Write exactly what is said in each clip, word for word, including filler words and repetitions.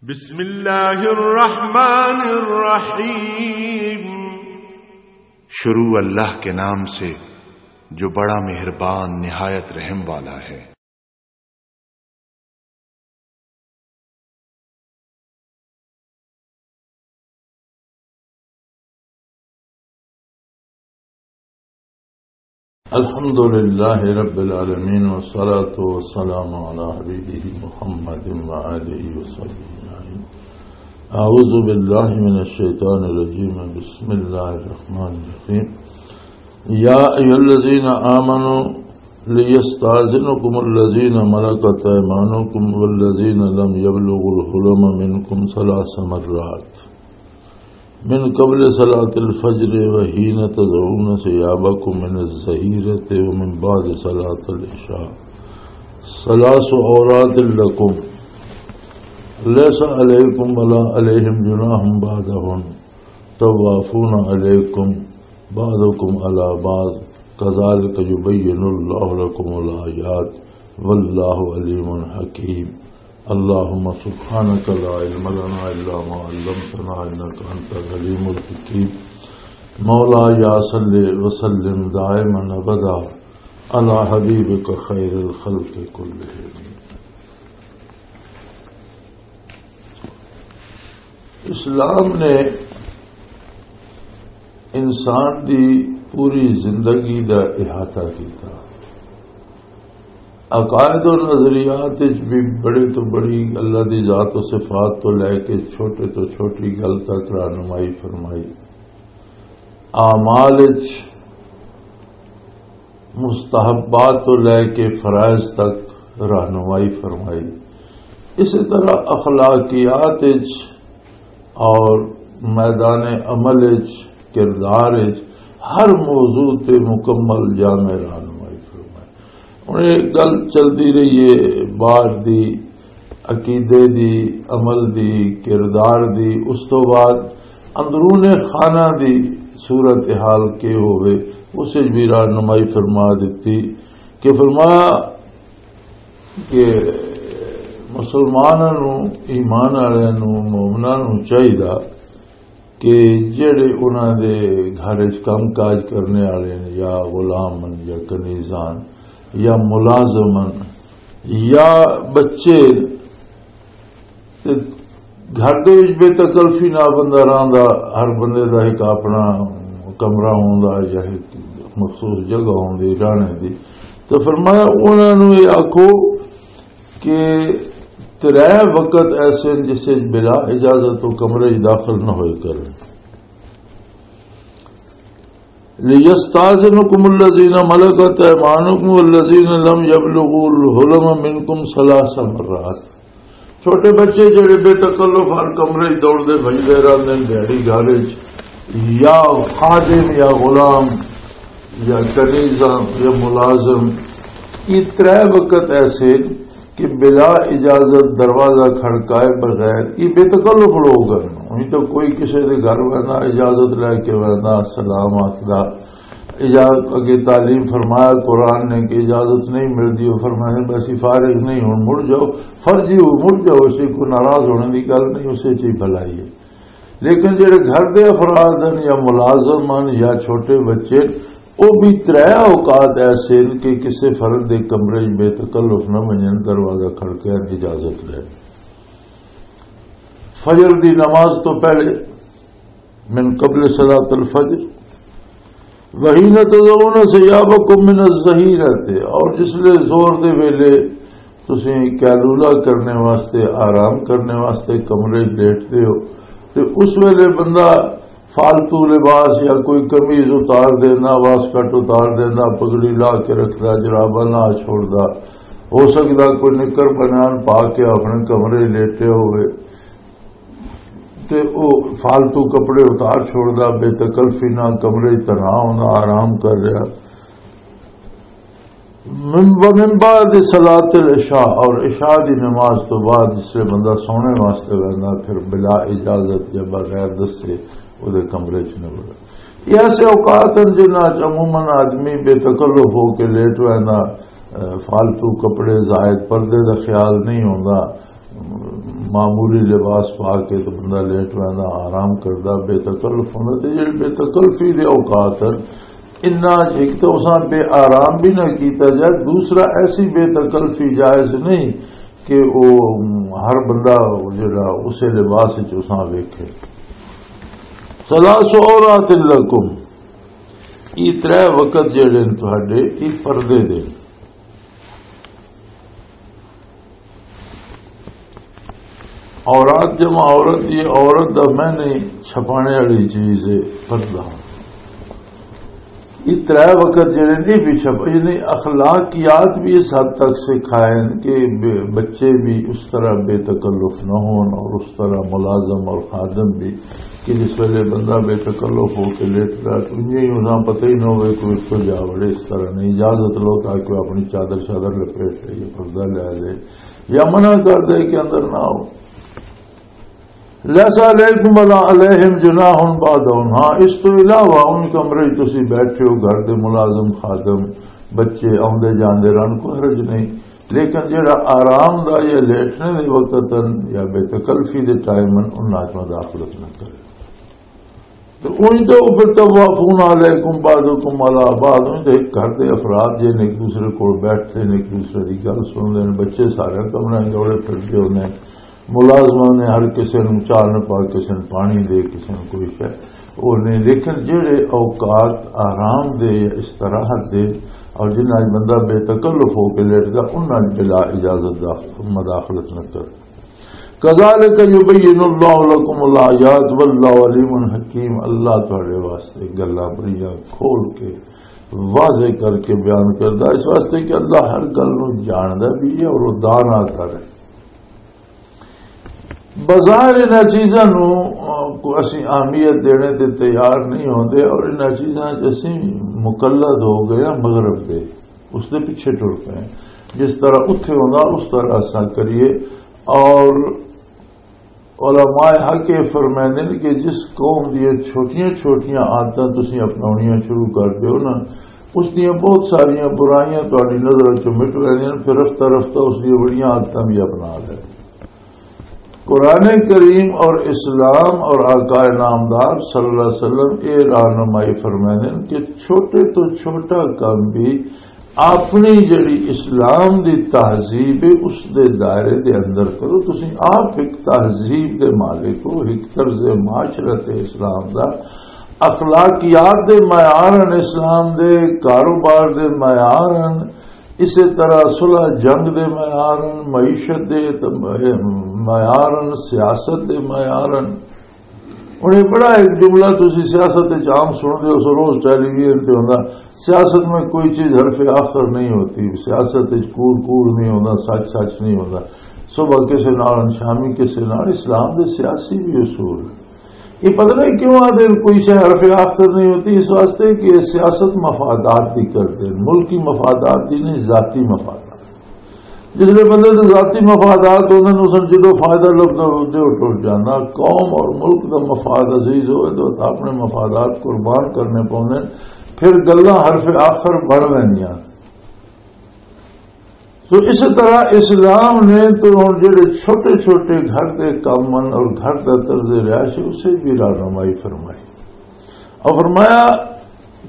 بسم اللہ الرحمن الرحیم۔ شروع اللہ کے نام سے جو بڑا مہربان نہایت رحم والا ہے۔ الحمد لله رب العالمين، والصلاة والسلام على حبيبه محمد وآله وصحبه أجمعين. أعوذ بالله من الشيطان الرجيم. بسم الله الرحمن الرحيم. يا أيها الذين آمنوا ليستأذنكم الذين ملكت أيمانكم والذين لم يبلغوا الحلم منكم ثلاث مرات من قبل صلاة الفجر وحين تضعون ثيابكم من الظهيرة ومن بعد صلاة العشاء، ثلاث عورات لكم، ليس عليكم ولا عليهم جناح بعدهن، طوافون عليكم بعضكم على بعض، كذلك يبين الله لكم الآيات، والله عليم حكيم. اللهم سبحانك لا علم لنا إلا ما علمتنا إنك أنت العليم الحكيم. مولاي صل وسلم دائما أبدا على حبيبك خير الخلق كلهم. اسلام نے انسان دی پوری زندگی دا احاطہ کیتا۔ عقائد و نظریات وچ بھی بڑے تو بڑی اللہ دی ذات و صفات تو لے کے چھوٹے تو چھوٹی گل تک رہنمائی فرمائی۔ اعمال وچ مستحبات تو لے کے فرائض تک رہنمائی فرمائی۔ اسی طرح اخلاقیات وچ اور میدان عمل وچ، کردار وچ ہر موضوع تے مکمل جامع رہنمائی فرمائی۔ ہن یہ گل چلدی رہی ہے بعد دی، عقیدے دی، عمل دی، کردار دی، اس تو بعد اندرون خانہ دی صورت حال کے ہوئے، اس وچ بھی رہنمائی فرما دتی کہ فرمایا کہ مسلماناں نوں، ایمان والے نوں، مومناں نوں چاہیدا کہ جڑے انہاں دے گھر وچ کم کاج کرنے والے نے، یا غلام ہن، یا کنیزان، یا ملازم ہن، یا بچے، تے گھر دے وچ بے تکلفی نال بندہ رہندا، ہر بندے دا ایک اپنا کمرہ ہوندا یا ایک مخصوص جگہ ہوندی رہنے دی۔ تو فرمایا، انہاں نوں یہ آکھو کہ ترے وقت ایسے ہیں جس وچ بلا اجازت تو کمرے وچ داخل نہ ہوئے کرن۔ لِيَسْتَأْذِنَكُمُ الَّذِينَ مَلَكَتْ أَيْمَانُكُمْ وَالَّذِينَ لَمْ يَبْلُغُوا الْحُلُمَ مِنْكُمْ ثَلَاثَ مَرَّاتٍ۔ چھوٹے بچے جڑے بے تکلف ہر کمرے وچ دوڑدے بھجدے رہندے نے، دھیاڑی گھر وچ، یا خادم یا غلام یا کنیزہ یا ملازم، یہ ترے وقت ایسے کہ بلا اجازت دروازہ کھڑکائے بغیر، یہ بے تکلف لوگ ہیں۔ انہیں تو کوئی کسی دے گھر وینا، اجازت لے کے وینا، سلام آخدا۔ اجازت اگے تعلیم فرمایا قرآن نے کہ اجازت نہیں ملتی، وہ فرمایا، "بس یہ فارغ نہیں، ہن مڑ جاؤ، فرضی ہو، مڑ جاؤ، اسی کو ناراض ہونے کی گل نہیں، اسے چی بھلائی ہے۔" لیکن جڑے گھر دے افراد ہیں یا ملازم ہیں یا چھوٹے بچے، وہ بھی ترے اوقات ایسے ہیں کہ کسی فرد دے کمرے وچ بے تکلف نہ بنن، دروازہ کھڑکے اجازت لے۔ فجر دی نماز تو پہلے، من قبل صلاۃ الفجر، وحین تضعون ثیابکم من الظہیرۃ، اور جس لے زور دے ویلے تسیں قیلولہ کرنے واسطے، آرام کرنے واسطے کمرے لیٹدے ہو، تے اس ویلے بندہ فالتو لباس یا کوئی قمیض اتار دینا، واسکٹ اتار دینا، پگڑی لا کے رکھدا، جراباں لا چھوڑدا، ہو سکدا کوئی نکر بنیان پا کے اپنے کمرے لیٹے ہوئے۔ تے او فالتو کپڑے اتار چھوڑدا، بے تکلفی نال کمرے وچ تنہا ہوندا، آرام کر رہا۔ من، ومن بعد صلاۃ العشاء، اور عشاء دی نماز تو بعد جس لے بندہ سونے واسطے ویندا، پھر بلا اجازت یا بغیر دسے او دے کمرے وچ نہ وڑے۔ یہ ایسے اوقات ہیں جنہاں وچ عموماً آدمی بے تکلف ہو کے لیٹ ویندا، اے، فالتو کپڑے، زائد پردے دا خیال نہیں ہوندا، معمولی لباس پا کے تو بندہ لیٹ ویندا، آرام کردا، بے تکلف ہوندا۔ تے جڑے بے تکلفی دے اوقات ہن، انہاں چ ایک تو اساں بے آرام بھی نہ کیتا جائے، دوسرا ایسی بے تکلفی جائز نہیں کہ او ہر بندہ جڑا اسے لباس وچ اساں ویکھے۔ ثلاث عورات لکم، یہ ترے وقت جڑے نے تہاڈے، یہ پردے دے۔ عورت جمع عورت، یہ عورت دا میں نہیں چھپانے والی چیز ہے، پردہ۔ یہ ترے وقت جڑے نہیں بھی چھپ، یعنی اخلاقیات بھی اس حد تک سکھائے کہ بے-، بچے بھی اس طرح بے تکلف نہ ہون اور اس طرح ملازم اور خادم بھی کہ جس ویلے بندہ بے تکلف ہو کے لیٹدا، تو انہیں ہی انہاں پتہ ہی نہ ہوئے کہ اس کو جا وڑے، اس طرح نہیں، اجازت لو تاکہ وہ اپنی چادر شادر لپیٹ لے، یہ پردہ لے لے، یا منع کر دے کہ اندر نہ آؤ۔ لیس علیکم ولا علیہم جناح بعدہم، ہاں، اس تو علاوہ ان کمرے وچ تسی بیٹھے ہو، گھر دے ملازم، خادم، بچے آوندے جاندے رہن، کوئی حرج نہیں، لیکن جڑا آرام دا یا لیٹنے دے وقت ہن یا بے تکلفی دے ٹائم ہن، انہاں وچ مداخلت نہ کرے۔ تو اونج تے او پھر طوافون علیکم بعضکم علی بعض، اونج تے ایک گھر دے افراد جے نے ایک دوسرے کول بیٹھدے نے، ایک دوسرے دی گل سنتے نے، بچے سارے کمرے جوڑے پھردے ہوندے نے، ملازماں نے ہر کسے نوں چاہ نہ پا، کسے نوں پانی دے، کسے نوں کوئی شے، او نے، لیکن جڑے اوقات آرام دے یا استراحت دے اور جنہاں وچ بندہ بے تکلف ہو کے لیٹدا، انہاں وچ بلا اجازت دا مداخلت نہ کر۔ کذالک یبین اللہ لکم الآیات واللہ علیم حکیم، اللہ تہاڈے واسطے گلاں بڑیاں کھول کے واضح کر کے بیان کردا، اس واسطے کہ اللہ ہر گل نوں جاندا بھی ہے اور وہ دانا کر ہے۔ بظاہر انہاں چیزاں نوں، آ، کو اسی اہمیت دینے تے تیار نہیں ہوندے اور انہاں چیزاں چ اسی مقلد ہو گئے ہاں مغرب دے، اس دے پیچھے ٹر پئے ہیں۔ جس طرح اتھے ہوندا اس طرح اساں کریے۔ اور علماء حق یہ فرمائندے نے کہ جس قوم دیاں چھوٹیاں چھوٹیاں عادتاں تسی اپناونیاں شروع کر دیو نا، اس دیاں بہت ساریاں برائیاں تہاڈی نظر چوں مٹ ویندیاں، پھر رفتہ رفتہ اس دیاں بڑیاں عادتاں بھی اپنا لے۔ قرآن کریم اور اسلام اور آقا نامدار صلی اللہ علیہ وسلم یہ رہنمائی فرمائندے نے کہ چھوٹے تو چھوٹا کام بھی اپنی جڑی اسلام دی تہذیب ہے، اس دے دائرے دے اندر کرو۔ تسی آپ ایک تہذیب دے مالک ہو، ایک طرز معاشرت ہے اسلام دا، اخلاقیات دے معیار ہن اسلام دے، کاروبار دے معیار ہن، اسی طرح صلح جنگ دے معیار ہن، معیشت دے ت-، معیار ہن، سیاست دے معیار ہن۔ ہن یہ بڑا ایک جملہ تسی سیاست وچ عام سن دے ہو، روز ٹیلی ویژن تے ہوندا، سیاست میں کوئی چیز حرف آخر نہیں ہوتی، سیاست وچ کوڑ کوڑ نہیں ہوندا، سچ سچ نہیں ہوندا، صبح کسے نال، شامی کسے نال۔ اسلام دے سیاسی بھی اصول۔ یہ پتہ نہیں کیوں آدھے کوئی شے حرف آخر نہیں ہوتی، اس واسطے کہ یہ سیاست مفادات دی کردے، ملکی مفادات دی نہیں، ذاتی مفادات۔ جس لئے بندے دے ذاتی مفادات ہوندے نے، اس نوں جدوں فائدہ لبدا، اودے او ٹر جاندا۔ قوم اور ملک دا مفاد عزیز ہوئے تو اپنے مفادات قربان کرنے پوندے نے، پھر گلاں حرف آخر بن ویندیاں۔ تو اس طرح اسلام نے تو ہن جڑے چھوٹے چھوٹے گھر دے کم ہن اور گھر دا طرز رہائش، اسے بھی رہنمائی فرمائی۔ اور فرمایا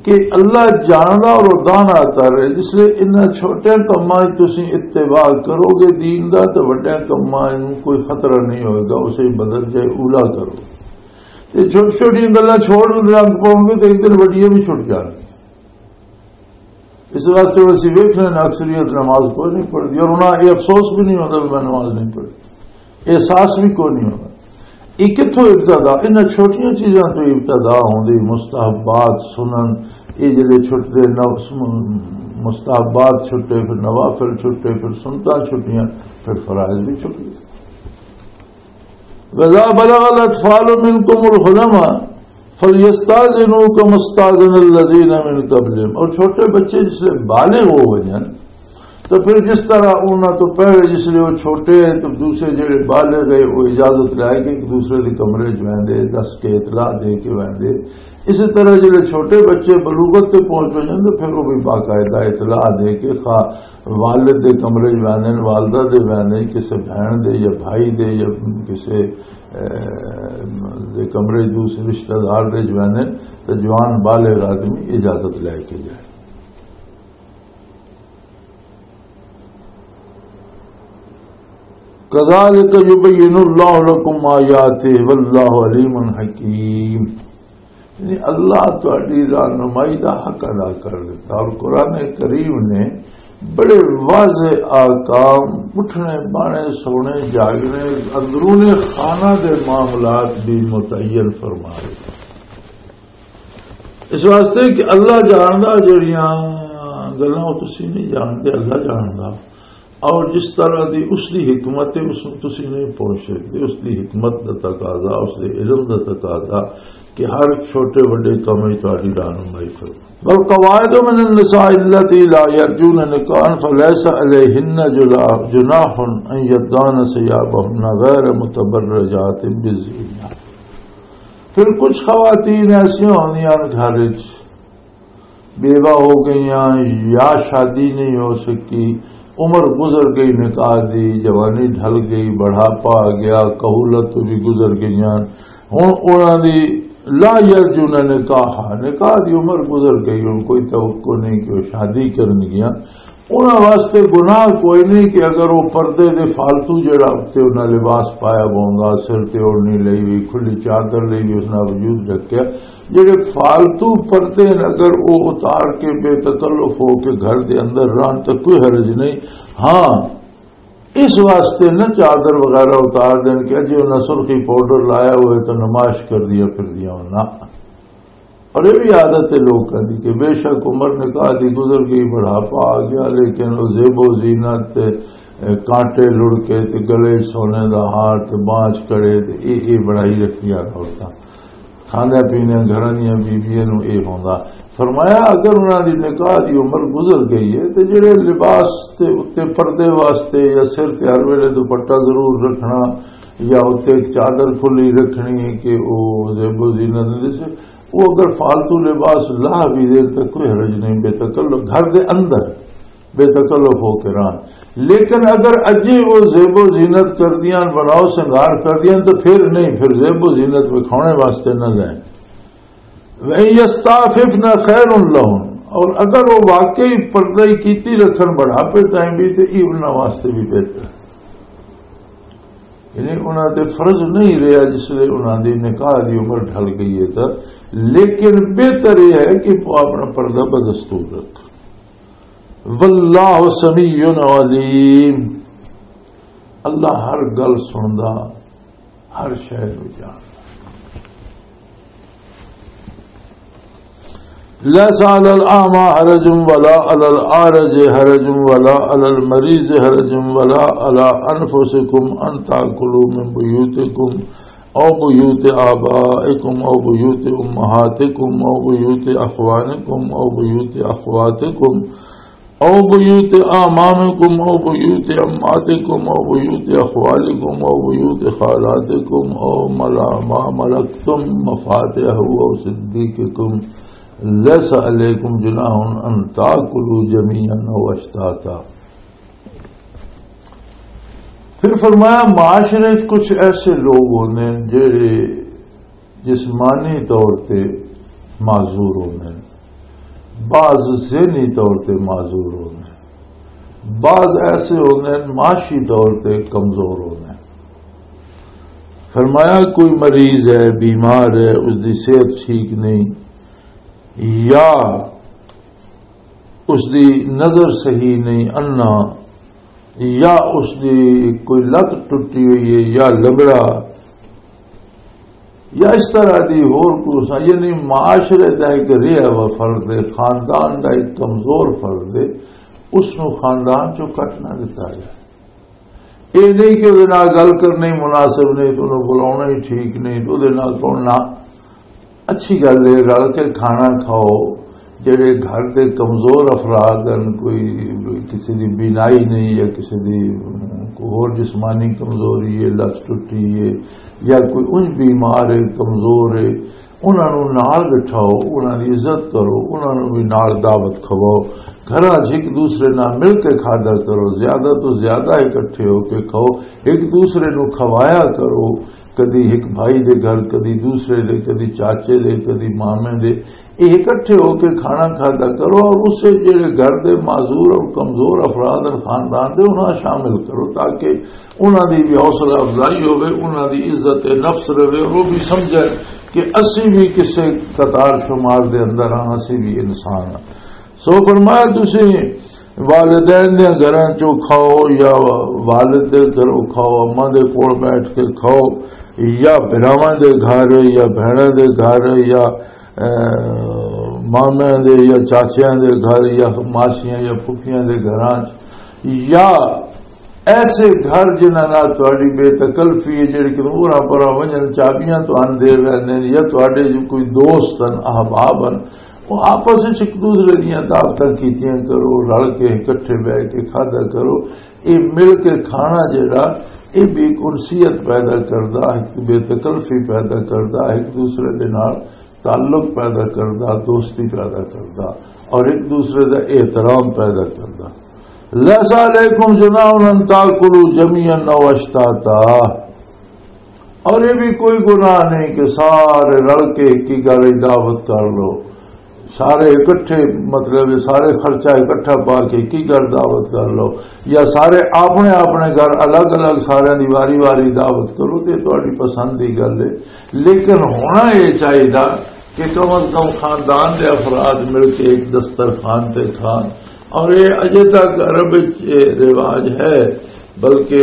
کہ اللہ جاندا اور دانا تر ہے، اس لیے انہاں چھوٹے کماں وچ تسی اتباع کرو گے دین دا، تے وڈے کماں نوں کوئی خطرہ نہیں ہوئے گا، اسے بدل جائے اولا کرو۔ تے چھوٹی چھوٹی گلاں چھوڑ لگ پاؤ گے تے ایک دن وڈیاں بھی چھٹ جان۔ اس واسطے ہن اسی ویکھنے نا، اکثریت نماز کوئی نہیں پڑھدی، اور انہاں یہ افسوس بھی نہیں ہوتا کہ میں نماز نہیں پڑھی، احساس بھی کوئی نہیں ہوتا۔ یہ کتھوں ابتدا؟ انہاں چھوٹیاں چیزاں تو ابتدا ہوندی۔ مستحبات، سنن، یہ جڑے چھٹدے، نفس، مستحبات چھٹے، پھر نوافل چھٹے، پھر سنتاں چھٹیاں، پھر فرائض بھی چھٹ گئے۔ وَإِذَا بَلَغَ الْأَطْفَالُ مِنْكُمُ الْحُلُمَ فَلْيَسْتَأْذِنُوا كَمَا اسْتَأْذَنَ الَّذِينَ مِنْ قَبْلِهِمْ۔ اور چھوٹے بچے جس لئے بالغ ہو جائیں تو پھر جس طرح انہاں تو پہلے جس لئے وہ چھوٹے ہیں تو دوسرے جڑے بالغ ہیں وہ اجازت لے کے ایک دوسرے دے کمرے چ ویندے، دس کے اطلاع دے کے ویندے۔ اسی طرح جڑے چھوٹے بچے بلوغت تے پہنچ ہو جاندے، پھر وہ بھی باقاعدہ اطلاع دے کے خا-، والد دے کمرے چ ویندے نے، والدہ دے ویندے نے، کسے بہن دے یا بھائی دے یا کسے، اے، دے کمرے چ دوسرے رشتہ دار دے چ ویندے نے، تے جوان بالغ آدمی اجازت لے کے جائے۔ كذلك يبين الله لكم آياته والله عليم حكيم۔ یعنی اللہ تہاڈی رہنمائی دا حق ادا کر دیتا، اور قرآن کریم نے بڑے واضح احکام، اٹھنے، بانے، سونے، جاگنے، اندرون خانہ دے معاملات بھی متعین فرما دیتے۔ اس واسطے کہ اللہ جاندا جڑیاں گلاں او تسی نہیں جاندے، اللہ جاندا۔ اور جس طرح دی اس دی حکمت ہے، اس نوں تسی نہیں پہنچ سکدے۔ اس دی حکمت دا تقاضا، اس دے علم دا تقاضا کہ ہر چھوٹے وڈے کم وچ تہاڈی رہنمائی کرو۔ والقواعد من النساء اللتی لا یرجون نکاحا فلیس علیہن جلا-، جناح ان یضعن ثیابہن غیر متبرجات بزینہ۔ پھر کچھ خواتین ایسیاں ہوندیاں نے گھر وچ، بیوہ ہو گئیاں یا شادی نہیں ہو سکی، عمر گزر گئی نکاح دی، جوانی ڈھل گئی، بڑھاپا آ گیا، کہولت تو بھی گزر گئیاں۔ ہن انہاں دی لا یرجون نکاح، نکاح دی عمر گزر گئی، ہن کوئی توقع نہیں کہ وہ شادی کرن گیاں۔ انہاں واسطے گناہ کوئی نہیں کہ اگر وہ پردے دے فالتو جڑا تے انہاں لباس پایا ہوندا، سر تے اوڑھنی لئی ہوئی، کھلی چادر لئی ہوئی، اس نال وجود ڈھکیا، جڑے فالتو پردے نے اگر وہ اتار کے بے تکلف ہو کے گھر دے اندر رہن تو کوئی حرج نہیں۔ ہاں، اس واسطے نہ چادر وغیرہ اتار دین کہ اجے انہاں سرخی پاؤڈر لایا ہوئے تو نمائش کر دیا پھر دیا ہونا۔ اور یہ بھی عادت ہے لوکاں دی کہ بے شک عمر نکاح دی گزر گئی، بڑھاپا آ گیا، لیکن وہ زیب و زینت تے، اے، کانٹے لڑ کے تے گلے سونے دا ہار تے بانچ کڑے تے اے، اے بڑائی رکھدیاں نے عورتاں۔ کھاندے پیندے گھراں دیاں بیبیاں نوں اے ہوندا۔ فرمایا، اگر انہاں دی نکاح دی عمر گزر گئی ہے تے جڑے لباس تے اتے پردے واسطے یا سر تے ہر ویلے دوپٹہ ضرور رکھنا یا اتے ایک چادر کھلی رکھنی کہ او زیب و زینت دے سے، وہ اگر فالتو لباس لا بھی دے تو کوئی حرج نہیں، بے تکلف گھر دے اندر بے تکلف ہو کے رہن۔ لیکن اگر اجے وہ زیب و زینت کر دیاں، بناؤ سنگار کر دیاں، تو پھر نہیں، پھر زیب و زینت وکھاؤنے واسطے نہ لیں۔ وَإِن يَسْتَعْفِفْنَ خَيْرٌ لَهُنَّ، اور اگر وہ واقعی پردہ ہی کیتی رکھن بڑھاپے تائیں بھی، تو یہ انہاں واسطے بھی بہتر ہے۔ یعنی انہاں تے فرض نہیں رہیا جس لئے انہاں دی نکاح دی عمر ڈھل گئی ہے، تو لیکن بہتر یہ ہے کہ وہ اپنا پردہ بدستور رکھ۔ واللہ سمیع علیم، اللہ ہر گل سندا، ہر شے نوں جاندا۔ ليس على الأعمى حرج ولا على الأعرج حرج ولا على المريض حرج ولا على أنفسكم أن تأكلوا من بيوتكم أو بيوت آبائكم أو بيوت أمهاتكم أو بيوت أخوانكم أو بيوت أخواتكم أو بيوت أعمامكم أو بيوت عماتكم أو بيوت أخوالكم أو بيوت خالاتكم أو ملا-، ما ملكتم مفاتحه أو صديقكم، ليس عليكم جناح أن تأكلوا جميعا أو أشتاتا۔ پھر فرمایا، معاشرے وچ کچھ ایسے لوگ ہوندے نے جڑے جسمانی طور تے معذور ہوندے نے، بعض ذہنی طور تے معذور ہوندے نے، بعض ایسے ہوندے نے معاشی طور تے کمزور ہوندے نے۔ فرمایا، کوئی مریض ہے، بیمار ہے، اس دی صحت ٹھیک نہیں، یا اس دی نظر صحیح نہیں، انا، یا اس دی کوئی لت ٹٹی ہوئی ہے یا لنگڑا، یا اس طرح دی ہور کوئی سا-، یعنی معاشرے دا ایک رہا ہوا فرد ہے، خاندان دا ایک کمزور فرد ہے، اس نو خاندان چوں کٹ نہ دتا جائے۔ یہ نہیں کہ وہ نال گل کرنا ہی مناسب نہیں، تو انہوں بلانا ہی ٹھیک نہیں، تو وہ نال کون نہ۔ اچھی گل ہے، رل کے کھانا کھاؤ۔ جڑے گھر دے کمزور افراد ہیں، کوئی کسی دی بینائی نہیں یا کسی دی کوئی ہور جسمانی کمزوری ہے، لت ٹوٹی ہے، یا کوئی انج بیمار ہے، کمزور ہے، انہاں نوں نال بٹھاؤ، انہاں دی عزت کرو، انہاں نوں بھی نال دعوت کھواؤ۔ گھراں 'چ ایک دوسرے نال مل کے کھادا کرو، زیادہ تو زیادہ اکٹھے ہو کے کھاؤ، ایک دوسرے نوں کھوایا کرو۔ کدی ایک بھائی دے گھر، کدی دوسرے دے، کدی چاچے دے، کدی مامے دے، یہ اکٹھے ہو کے کھانا کھادا کرو۔ اور اسے جڑے گھر دے معذور اور کمزور افراد اور خاندان دے، انہاں شامل کرو، تاکہ انہاں دی بھی حوصلہ افزائی ہوے، انہاں دی عزت نفس رہے، اور وہ بھی سمجھے کہ اسی بھی کسے قطار شمار دے اندر ہاں، اسی بھی انسان ہاں۔ سو فرمایا، تسی والدین دے گھراں چوں کھاؤ یا والد دے گھروں کھاؤ، اماں دے کول بیٹھ کے کھاؤ، یا بھراواں دے گھر، یا بہناں دے گھر، یا، اے، مامیاں دے یا چاچیاں دے گھر، یا ماسیاں یا پھپھیاں دے گھراں چ، یا ایسے گھر جنہاں نال تہاڈی بے تکلفی ہے، جڑے کہ اوراں پراں ونجن چابیاں تہانوں دے ویندے نے، یا تہاڈے جو کوئی دوست ہن، احباب ہن، وہ آپس وچ ایک دوسرے دیاں دعوتاں کیتیاں کرو، رل کے اکٹھے بیٹھ کے کھادا کرو۔ یہ مل کے کھانا جڑا، یہ بھی ایک انسیت پیدا کردا، ایک بے تکلفی پیدا کردا، ایک دوسرے دے نال تعلق پیدا کردا، دوستی پیدا کردا، اور ایک دوسرے دا احترام پیدا کردا۔ لیس علیکم جناح ان تاکلوا جميعا او اشتاتا۔ اور یہ بھی کوئی گناہ نہیں کہ سارے رل کے ایک ہی گھر وچ دعوت کر لو، سارے اکٹھے، مطلب سارے خرچہ اکٹھا پا کے ایک ہی گھر دعوت کر لو، یا سارے اپنے اپنے گھر الگ الگ سارے دی واری واری دعوت کرو، تے تہاڈی پسند دی گل ہے۔ لیکن ہونا یہ چاہیے کہ کم از کم خاندان دے افراد مل کے ایک دسترخوان تے کھان۔ اور یہ اجے تک عرب وچ یہ رواج ہے، بلکہ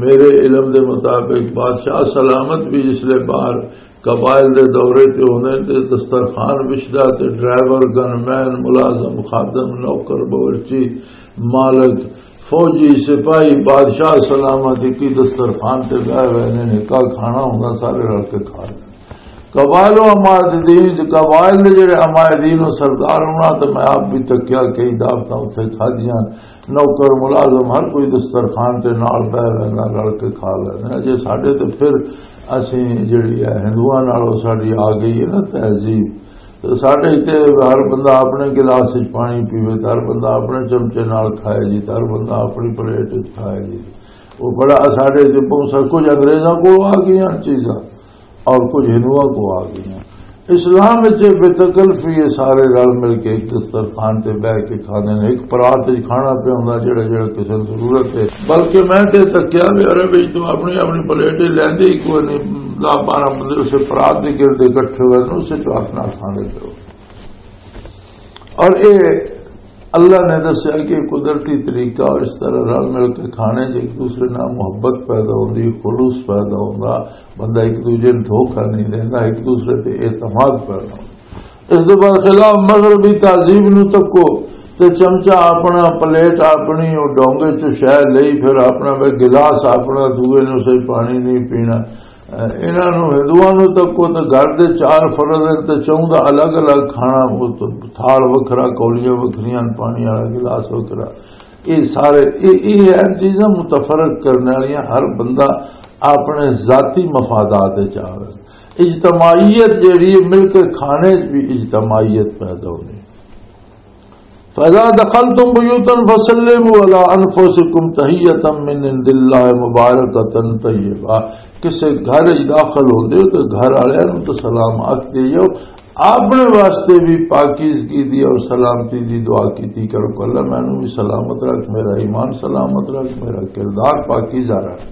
میرے علم دے مطابق بادشاہ سلامت بھی جس لے باہر قبائل دے دورے تے ہوندے تے دسترخوان وچھدا تے ڈرائیور، گن مین، ملازم، خادم، نوکر، باورچی، مالک، فوجی، سپاہی، بادشاہ سلامت اکی دسترخوان تے بیٹھے ہوئے نے، نکا کھانا ہوندا، سارے رل کے کھا لے۔ قبائل و عمائد دین، قبائل دے جڑے عمائد دین و سردار ہونا، تے میں آپ بھی تکیا کئی دعوتاں اتھے کھادیاں، نوکر ملازم ہر کوئی دسترخوان تے نال بیٹھ ویندا، رل کے کھا لیندے۔ جے ساڈے تے پھر اسیں جڑی ہے ہندوؤں نال او ساڈی آ گئی ہے نا تہذیب، تے ساڈے تے ہر بندہ اپنے گلاس وچ پانی پیوے، تے ہر بندہ اپنے چمچے نال کھائے جی، تے ہر بندہ اپنی پلیٹ وچ کھائے جی۔ وہ بڑا ساڈے تے بہت سا کچھ انگریزاں کو آ گئی ہیں چیزاں، اور کچھ ہندوؤں کو آ گئی ہیں۔ اسلام وچ بے تکلفی یہ سارے رل مل کے ایک دسترخوان تے بیٹھ کے کھاندے نے، ایک پرات وچ کھانا پیا ہوندا جڑا جڑا کسے نوں ضرورت ہے۔ بلکہ میں تے تکیا بھی عرب وچ تو اپنی اپنی پلیٹ ہی لیندے ہی کوئی نہیں، دس بارہ بندے اسے پرات دے گرد اکٹھے ہوئے نے، اسے چ اپنا کھاندے پئے ہو۔ اور اے اللہ نے دسیا کہ قدرتی طریقہ اور اس طرح رل مل کے کھانے جو ایک دوسرے نال محبت پیدا ہوندی، خلوص پیدا ہوندا، بندہ ایک دوجے نوں دھوکا نہیں دیندا، ایک دوسرے تے اعتماد پیدا ہوندا۔ اس دے بعد خلاف مغربی تہذیب نوں تکو تے چمچا اپنا، پلیٹ اپنی، او ڈونگے چ شے لئی، پھر اپنا وے گلاس اپنا، دوئے نوں سے پانی نہیں پینا۔ انہاں نوں، ہندوؤں نوں تکو تے گھر دے چار فرد ہن تے چاہوں دا الگ الگ کھانا، او تے تھال وکھرا، کولیاں وکھریاں، پانی والا گلاس وکھرا۔ یہ سارے، یہ، یہ ہیں چیزاں متفرق کرنے والیاں۔ ہر بندہ اپنے ذاتی مفادات وچ آوے۔ اجتماعیت جیڑی ہے، مل کے کھانے وچ بھی اجتماعیت پیدا ہونی۔ فَإِذَا دَخَلْتُمْ بُيُوتًا فَسَلِّمُوا عَلَىٰ أَنفُسِكُمْ تَحِيَّةً مِّنْ عِندِ اللَّهِ مُبَارَكَةً طَيِّبَةً۔ کسے گھر وچ داخل ہوندے ہو تے گھر والے نوں تے سلام آکھ دے جاؤ۔ اپنے واسطے بھی پاکیزگی دی اور سلامتی دی دعا کیتی کرو کہ اللہ مینوں بھی سلامت رکھ، میرا ایمان سلامت رکھ، میرا کردار پاکیزہ رکھ۔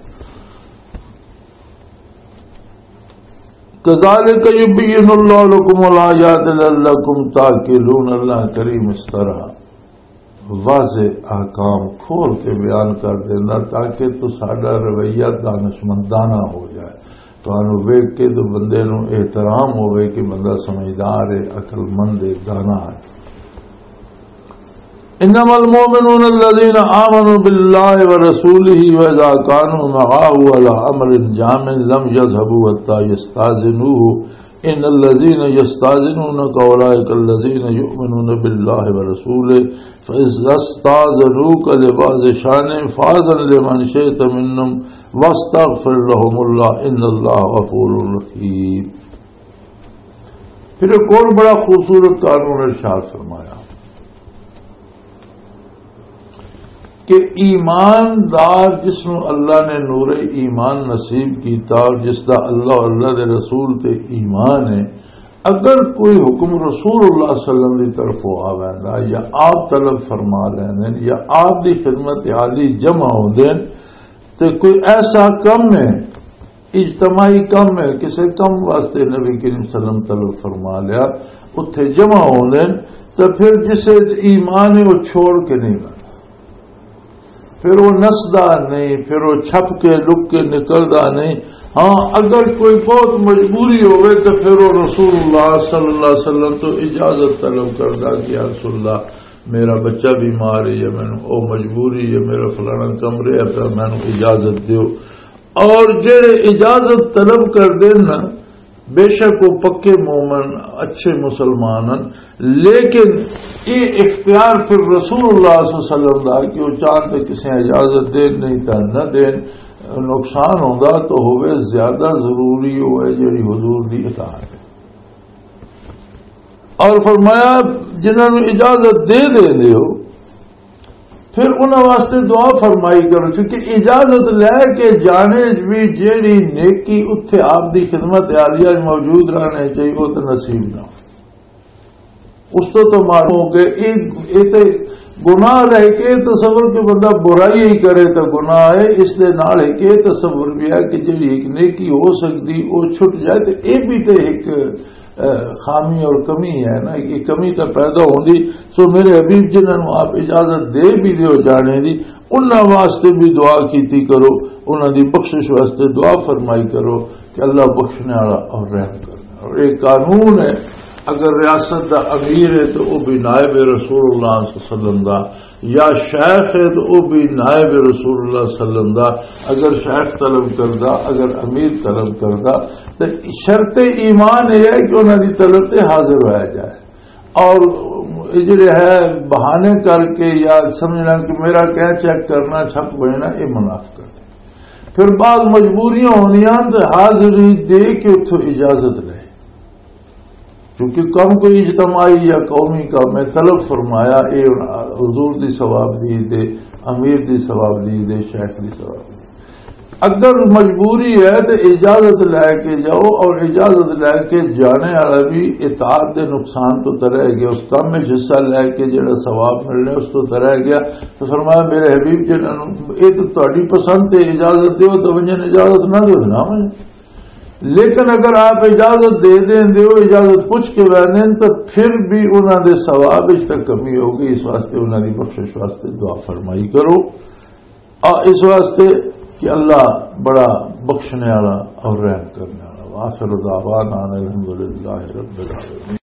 کذالک یبین اللہ لکم الآیات لعلکم تعقلون۔ اللہ کریم اس طرح واضح احکام کھول کے بیان کر دینا تاکہ تو ساڈا رویہ دانشمندانہ ہو جائے، تانوں ویکھ کے تو بندے نوں احترام ہوے کہ بندہ سمجھدار ہے، عقل مند ہے، دانا ہے۔ انما المؤمنون الذين آمنوا بالله ورسوله واذا كانوا معه على امر جامع لم يذهبوا حتى يستاذنوه ان الذين يستاذنونك اولئك الذين يؤمنون بالله ورسوله فاذا استاذنوك لبعض شانهم فاذن لمن شئت منهم واستغفر لهم الله ان الله غفور رحيم۔ پھر ایک اور بڑا خوبصورت قانون ارشاد فرمایا کہ ایماندار جس نو اللہ نے نور ایمان نصیب کیتا اور جس دا اللہ اور اللہ دے رسول تے ایمان ہے، اگر کوئی حکم رسول اللہ صلی اللہ علیہ وسلم دی طرفوں آ ویندا یا آپ طلب فرما لیندے یا آپ دی خدمت عالی جمع ہوندے، تے کوئی ایسا کم ہے، اجتماعی کم ہے، کسے کم واسطے نبی کریم صلی اللہ علیہ وسلم طلب فرما لیا، اتھے جمع ہوندے، تے پھر جسے وچ ایمان ہے، وہ چھوڑ کے نہیں لگدا۔ پھر وہ نسدا نہیں، پھر وہ چھپ کے، لک کے نکلدا نہیں۔ ہاں، اگر کوئی بہت مجبوری ہوئے تو پھر وہ رسول اللہ صلی اللہ علیہ وسلم تو اجازت طلب کردا کہ یا رسول اللہ، میرا بچہ بیمار ہے یا مینوں او مجبوری ہے، میرا فلانا کمرے ہے، تو مینوں اجازت دیو۔ اور جڑے اجازت طلب کر دین نا، بے شک وہ پکے مومن، اچھے مسلمان ہیں، لیکن یہ اختیار پھر رسول اللہ صلی اللہ علیہ وسلم دا کہ وہ چاہن تے کسے اجازت دین، نہیں تے نہ دین، نقصان ہوندا تو ہوئے، زیادہ ضروری ہوئے جڑی حضور دی اطاعت ہے۔ اور فرمایا، جنہاں نوں اجازت دے دے دیو، پھر انہاں واسطے دعا فرمائی کرو، کیونکہ اجازت لے کے جانے وچ بھی جیڑی نیکی اتھے آپ دی خدمت عالیہ وچ موجود رہنے چاہیے، وہ تو نصیب نہ ہو۔ اس تو تو معلوم ہو کہ یہ، یہ تے گناہ رہ کے تصور کہ بندہ برائی ہی کرے تو گناہ ہے، اس دے نال ہے کہ یہ تصور بھی ہے کہ جیڑی ایک نیکی ہو سکتی وہ چھٹ جائے، تو یہ بھی تے ایک، اے، خامی اور کمی ہے نا، یہ کمی تو پیدا ہوندی۔ سو میرے حبیب جنہاں نوں آپ اجازت دے بھی دیو جانے دی، انہاں واسطے بھی دعا کیتی کرو، انہاں دی بخشش واسطے دعا فرمائی کرو کہ اللہ بخشنے والا اور رحم کرنے والا۔ اور ایک قانون ہے، اگر ریاست دا امیر ہے تو وہ بھی نائب رسول اللہ صلی اللہ علیہ وسلم دا، یا شیخ ہے تو وہ بھی نائب رسول اللہ صلی اللہ علیہ وسلم دا۔ اگر شیخ طلب کردا، اگر امیر طلب کردا، تو شرط ایمان یہ ہے کہ انہاں دی طلب تے حاضر ہویا جائے۔ اور یہ جڑے ہے بہانے کر کے یا سمجھنا کہ میرا کیا چیک کرنا، چھپ بہنا، یہ منافقت ہے۔ پھر بعض مجبوریاں ہوندیاں تو حاضری دے کے اتھوں اجازت لے، کیونکہ کم کوئی اجتماعی یا قومی کام ہے، طلب فرمایا، اے حضور دی ثواب دی دے، امیر دی ثواب دی دے، شیخ دی ثواب دی۔ اگر مجبوری ہے تو اجازت لے کے جاؤ، اور اجازت لے کے جانے والا بھی اطاعت دے نقصان تو ترے گیا، اس کام میں حصہ لے کے جڑا ثواب ملنے اس تو ترے گیا۔ تو فرمایا، میرے حبیب جنہاں نوں، یہ تو تہاڈی پسند تے اجازت دیو تو ونجن، اجازت نہ دیو نہ ونجن۔ لیکن اگر آپ اجازت دے دیں دیو، اجازت پوچھ کے ویندے ہیں، تو پھر بھی انہاں دے ثواب اس تک کمی ہوگی، اس واسطے انہاں دی بخشش واسطے دعا فرمائی کرو۔ آ، اس واسطے کہ اللہ بڑا بخشنے والا اور رحم کرنے والا۔ وآخر دعوانا ان الحمدللہ رب العالمین۔